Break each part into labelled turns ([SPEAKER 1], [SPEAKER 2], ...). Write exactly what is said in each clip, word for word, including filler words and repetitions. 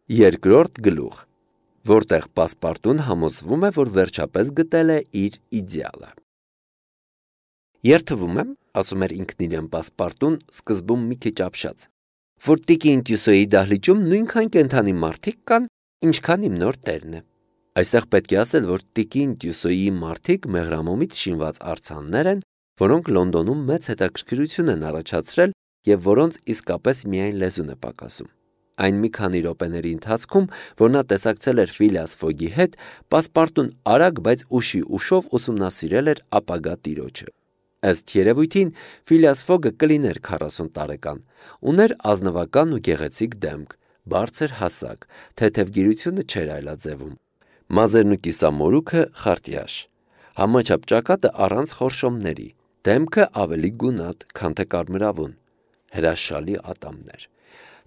[SPEAKER 1] Երկրորդ գլուխ, որտեղ պասպարտուն համոզվում է, որ վերջապես գտել է իր իդեալը։ Երթվում եմ, ասում էր ինքն իրեն պասպարտուն, սկզբում մի քիչ ապշած, որ տիկին Տյուսոյի դահլիճում նույնքան կենդանի մարդիկ կան, ինչքան իմ նոր տերն է։ Այստեղ պետք է ասել, որ տիկին Տյուսոյի մարդիկ մեղրամոմից շինված արձաններ են, որոնք Լոնդոնում մեծ հետաքրքրություն են առաջացրել և որոնց իսկապես միայն լեզուն է պակասում։ Այն մի քանի րոպեների ընթացքում, որ նա տեսակցել էր Ֆիլիաս Ֆոգի հետ, պասպարտուն արագ, բայց ուշի ուշով ուսումնասիրել էր ապագա տիրոջը։ Ըստ երևույթին, Ֆիլիաս Ֆոգը կլիներ քառասուն տարեկան, ուներ ազնվական ու գեղեցիկ դեմք, բարձր հասակ, թեթև գիրությունը չէր այլաձևում, մազերն ու կիսամորուքը խարտյաշ, համաչափ ճակատը առանց խորշոմների, դեմքը ավելի գունատ, քան թե կարմրավուն, հրաշալի ատամներ։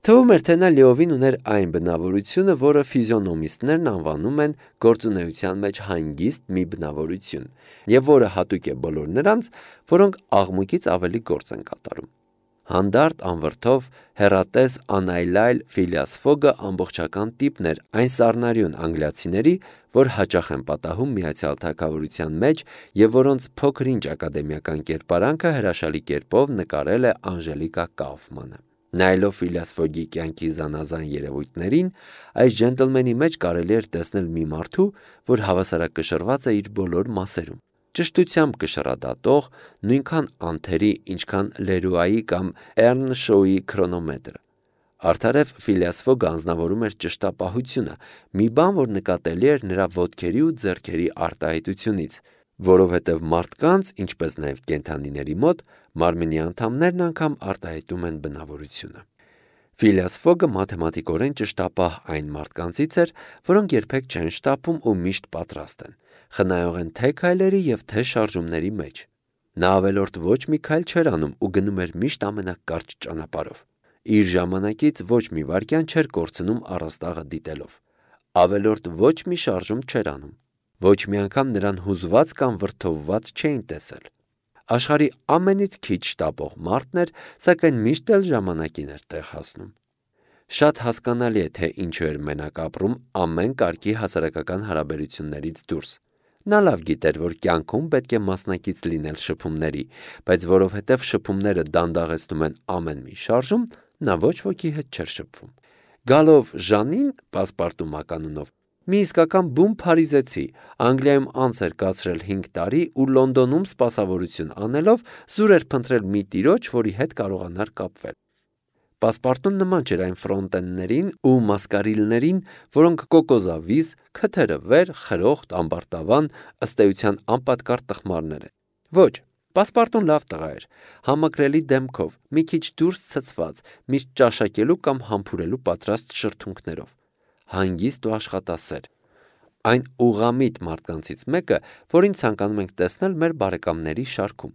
[SPEAKER 1] Թվում էր, թե նա լիովին ուներ այն բնավորությունը, որը ֆիզիոնոմիստներն անվանում են գործունեության մեջ հանգիստ մի բնավորություն, և որը հատուկ է բոլոր նրանց, որոնք աղմուկից ավելի գործ են կատարում։ Հանդարտ, անվրդով, հեռատես, անայլայլ Ֆիլիաս Ֆոգը ամբողջական տիպն էր այն սառնարյուն անգլիացիների, որ հաճախ են պատահում Միացյալ Թագավորության մեջ և որոնց փոքր-ինչ ակադեմիական կերպարանքը հրաշալի կերպով նկարել է Անժելիկա Կաուֆմանը։ Նայելով Ֆիլիաս Ֆոգի կյանքի զանազան երևույթներին, այս ջենտլմենի մեջ կարելի էր տեսնել մի մարդու, որ հավասարակշռված է իր բոլոր մասերում, ճշտությամբ կշռադատող, նույնքան անթերի, ինչքան Լերուայի կամ Էռնշոուի քրոնոմետրը։ Արդարև Ֆիլիաս Ֆոգը անձնավորում էր ճշտապահությունը, մի բան, որ նկատելի էր նրա ոտքերի ու ձեռքերի արտահայտությունից, որովհետև մարդկանց, ինչպես նաև կենդանիների մոտ, մարմնի անդամներն անգամ արտահայտում են բնավորությունը։ Ֆիլիաս Ֆոգը մաթեմատիկորեն ճշտապահ այն մարդկանցից էր, որոնք երբեք չեն շտապում ու միշտ պատրաստ են, խնայող են թե քայլերի և թե շարժումների մեջ։ Նա ավելորդ ոչ մի քայլ չէր անում ու գնում էր միշտ ամենակարճ ճանապարհով։ Իր ժամանակից ոչ մի վայրկյան չէր կորցնում առաստաղը դիտելով։ Ավելորդ ոչ մի շարժում չէր անում։ Ոչ մի անգամ նրան հուզված կամ վրդովված չէին տեսել։ Աշխարհի ամենից քիչ շտապող մարդն էր, սակայն միշտ էլ ժամանակին էր տեղ հասնում։ Շատ հասկանալի է, թե ինչու էր մենակ ապրում ամեն կարգի հասարակական հարաբերություններից դուրս։ Նա լավ գիտեր, որ կյանքում պետք է մասնակից լինել շփումների, բայց որովհետև շփումները դանդաղեցնում են ամեն մի շարժում, նա ոչ ոքի հետ չէր շփվում։ Գալով Ժանին, պասպարտու մականունով, մի իսկական բուն փարիզեցի, Անգլիայում անց էր կացրել հինգ տարի ու Լոնդոնում սպասավորություն անելով զուր էր փնտրել մի տիրոջ, որի հետ կարողանար կապվել։ Պասպարտուն նման չէր այն ֆրոնտեններին ու մասկարիլներին, որոնք կոկոզավիզ, քթերը վեր, խրոխտ, ամբարտավան, ըստ էության անպատկառ տխմարներ են։ Ոչ, պասպարտուն լավ տղա էր, համակրելի դեմքով, մի քիչ դուրս ցցված, միշտ ճաշակելու կամ համբուրելու պատրաստ շրթունքներով, հանգիստ ու աշխատասեր։ Այն ուղղամիտ մարդկանցից մեկը, որին ցանկանում ենք տեսնել մեր բարեկամների շարքում։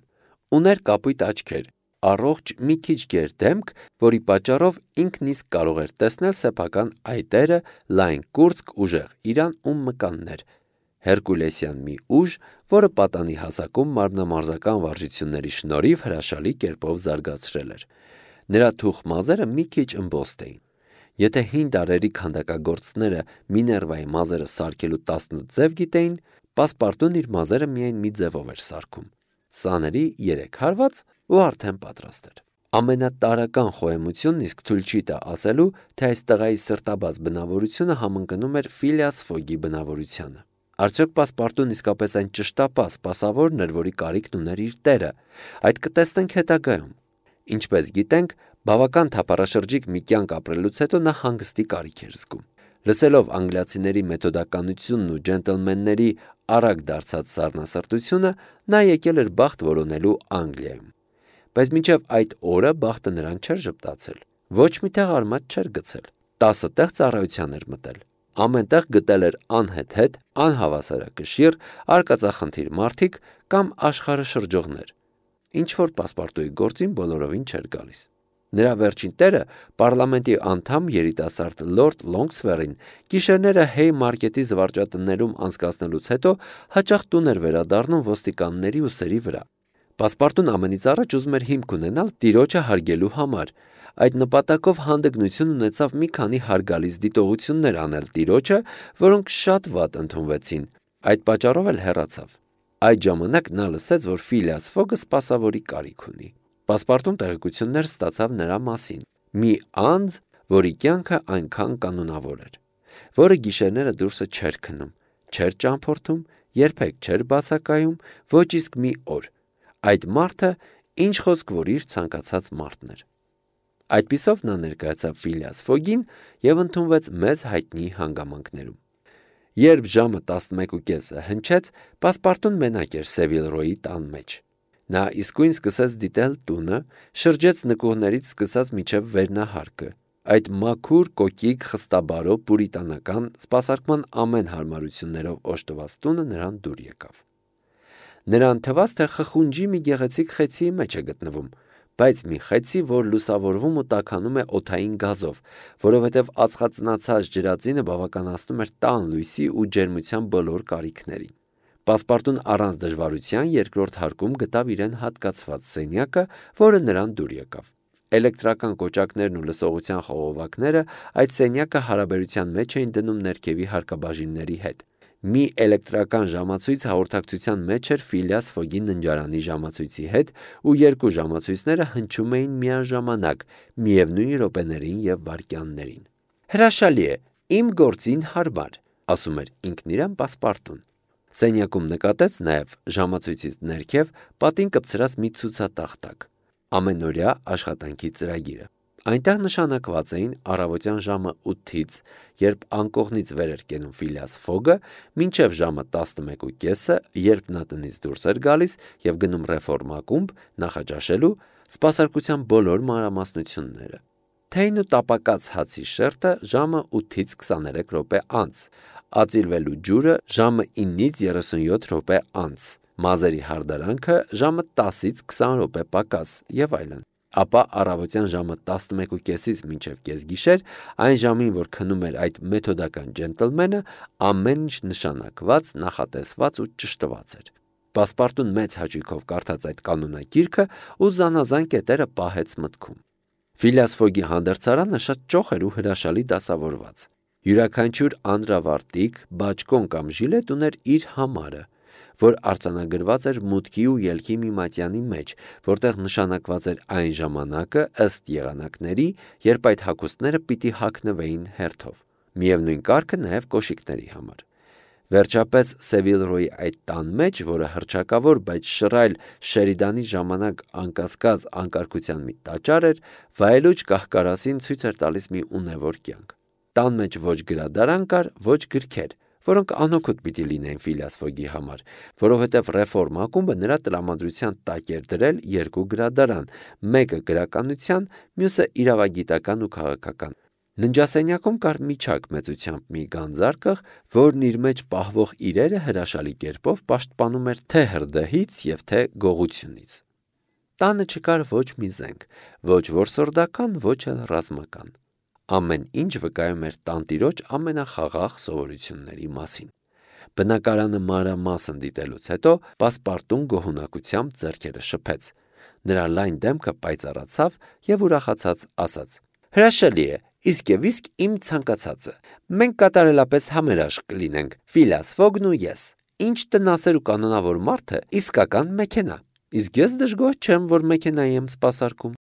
[SPEAKER 1] Ուներ կապույտ աչքեր, առողջ մի քիչ գեր դեմք, որի պատճառով ինքն իսկ կարող էր տեսնել սեփական այտերը, լայն կուրծք, ուժեղ իրան ու մկաններ, հերկուլեսյան մի ուժ, որը պատանի հասակում մարմնամարզական վարժությունների շնորհիվ հրաշալի կերպով զարգացրել էր։ Նրա թուխ մազերը մի քիչ ըմբոստ էին։ Եթե հին դարերի քանդակագործները Միներվայի մազերը սարքելու տասնութ ձև գիտեին, պասպարտուն իր մազերը միայն մի ձևով էր սարքում։ Սաների երեք հարված ու արդեն պատրաստ էր։ Ամենատարրական խոհեմությունն իսկ թույլ չի տա ասելու, թե այս տղայի սրտաբաց բնավորությունը համընկնում էր Ֆիլիաս Ֆոգի բնավորությանը։ Արդյոք պասպարտուն իսկապես այն ճշտապահ սպասավորն էր, որի կարիքն ուներ իր տերը։ Այդ կտեսնենք հետագայում։ Ինչպես գիտենք, բավական թափառաշրջիկ մի կյանք ապրելուց հետո նա հանգստի կարիք էր զգում։ Լսելով անգլիացիների մեթոդականությունն ու ջենտլմենների արագ դարձած սառնասրտությունը, նա եկել էր բախտ որոնելու Անգլիայում։ Բայց մինչև այդ օրը բախտը նրան չէր ժպտացել։ Ոչ մի տեղ արմատ չէր գցել։ Տասը տեղ ծառայության էր մտել։ Ամենտեղ գտել էր անհեթեթ, անհավասարակշիռ, արկածախնդիր մարդիկ կամ աշխարհը շրջողներ։ Ինչ-որ պասպարտուի գործին բոլորովին չէր գալիս։ Նրա վերջին տերը, պարլամենտի անդամ երիտասարդ լորդ Լոնգսվերին, գիշերները Հեյմարկետի զվարճատններում անցկացնելուց հետո հաճախ տուն էր վերադառնում ոստիկանների ուսերի վրա։ Պասպարտուն ամենից առաջ ուզում էր հիմք ունենալ տիրոջը հարգելու համար, Այդ նպատակով հանդգնություն ունեցավ մի քանի հարգալից դիտողություններ անել տիրոջը, որոնք շատ վատ ընդունվեցին, այդ պատճառով էլ հեռացավ։ Այդ ժամանակ նա լսեց, որ Ֆիլիաս Ֆոգը սպասավորի կարիք ունի։ Պասպարտուն տեղեկություններ ստացավ նրա մասին։ Մի անձ, որի կյանքը այնքան կանոնավոր էր, որը գիշերները դուրսը չէր քնում, չէր ճամփորդում, երբեք չէր բացակայում, ոչ իսկ մի օր։ Այդ մարդը, ինչ խոսք որ իր ցանկացած մարդն էր։ Այդպիսով նա ներկայացավ Ֆիլիաս Ֆոգին և ընդունվեց մեծ հայտնի հանգամանքներում։ Երբ ժամը տասնմեկը կեսը հնչեց, Պասպարտուն մենակ էր Սևիլրոյի տան մեջ։ Նա իսկույն սկսեց դիտել տունը, շրջեց նկուղներից սկսած մինչև վերնահարկը։ Այդ մաքուր, կոկիկ, խստաբարո, պուրիտանական, սպասարկման ամեն հարմարություններով օժտված տունը նրան դուր եկավ։ Նրան թվաց, թե խխունջի մի գեղեցիկ խեցիի մեջ է գտնվում, բայց մի խեցի, որ լուսավորվում ու տաքանում է օդային գազով, որովհետև ածխածնացած ջրածինը բավականացնում էր տան լույսի ու ջերմության բոլոր կարիքներին։ Պասպարտուն առանց դժվարության երկրորդ հարկում գտավ իրեն հատկացված սենյակը, որը նրան դուր եկավ։ Էլեկտրական կոճակներն ու լսողության խողովակները այդ սենյակը հարաբերության մեջ էին դնում ներքևի հարկաբաժինների հետ։ Մի էլեկտրական ժամացույց հաղորդակցության մեջ էր Ֆիլիաս Ֆոգի ննջարանի ժամացույցի հետ, ու երկու ժամացույցները հնչում էին միաժամանակ, միևնույն րոպեներին և վայրկյաններին։ Հրաշալի է, իմ գործին հարմար, ասում էր ինքն իրեն Պասպարտուն։ Սենյակում նկատեց նաև ժամացույցից ներքև պատին կպցրած մի ցուցատախտակ, ամենօրյա աշխատանքի ծրագիրը։ Այնտեղ նշանակված էին առավոտյան ժամը ութից, երբ անկողնից վեր էր կենում Ֆիլիաս Ֆոգը, մինչև ժամը տասնմեկը կեսը, երբ նա տնից դուրս էր գալիս և գնում ռեֆորմ ակումբ նախաճաշելու, սպասարկության բոլոր մանրամասնությունները։ Թեյն ու տապակած հացի շերտը ժամը ութից քսաներեք րոպե անց, ածիլվելու ջուրը ժամը ինից երեսունյոթ րոպե անց, մազերի հարդարանքը ժամը տասից քսան րոպե պակաս եւ այլն։ Ապա առավոտյան ժամը տասնմեկը կեսից մինչև կեսգիշեր, այն ժամին, որ քնում էր այդ մեթոդական ջենտլմենը, ամեն ինչ նշանակված, նախատեսված ու ճշտված էր։ Պասպարտուն մեծ հաճույքով կարդաց այդ կանոնակիրքը ու զանազան կետերը պահեց մտքում։ Ֆիլիաս Ֆոգի հանդերձարանը շատ ճոխ էր ու հրաշալի դասավորված։ Յուրաքանչյուր անդրավարտիկ, բաճկոն կամ ժիլետ ուներ իր համարը, որ արձանագրված էր մուտքի ու ելքի մի մատյանի մեջ, որտեղ նշանակված էր այն ժամանակը ըստ եղանակների, երբ այդ հագուստները պիտի հագնվեին հերթով։ Միևնույն կարգը նաև կոշիկների համար։ Վերջապես Սևիլրոյի այդ տան մեջ, որը հռչակավոր, բայց շռայլ Շերիդանի ժամանակ անկասկած անկարգության մի տաճար էր, վայելուչ կահկարասին ցույց էր տալիս մի ունևոր կյանք։ Տան մեջ ոչ գրադարան կար, ոչ գրքեր, որոնք անօգուտ պիտի լինեին Ֆիլիաս Ֆոգի համար, որովհետև ռեֆորմ ակումբը նրա տրամադրության տակ էր դրել երկու գրադարան, մեկը գրականության, մյուսը իրավագիտական ու քաղաքական։ Ննջասենյակում կար միջակ մեծությամբ մի գանձարկղ, որն իր մեջ պահվող իրերը հրաշալի կերպով պաշտպանում էր թե հրդեհից և թե գողությունից։ Տանը չկար ոչ մի զենք, ոչ որսորդական, ոչ էլ ռազմական։ Ամեն ինչ վկայում էր տանտիրոջ ամենախաղաղ սովորությունների մասին։ Բնակարանը մանրամասն դիտելուց հետո Պասպարտուն գոհունակությամբ ձեռքերը շփեց։ Նրա լայն դեմքը պայծառացավ և ուրախացած ասաց. Հրաշալի է, իսկ և իսկ իմ ցանկացածը։ Մենք կատարելապես համերաշխ կլինենք, Ֆիլիաս Ֆոգն ու ես։ Ինչ տնասեր ու կանոնավոր մարդ է, իսկական մեքենա։ Իսկ ես դժգոհ չեմ, որ մեքենայի եմ սպասարկում։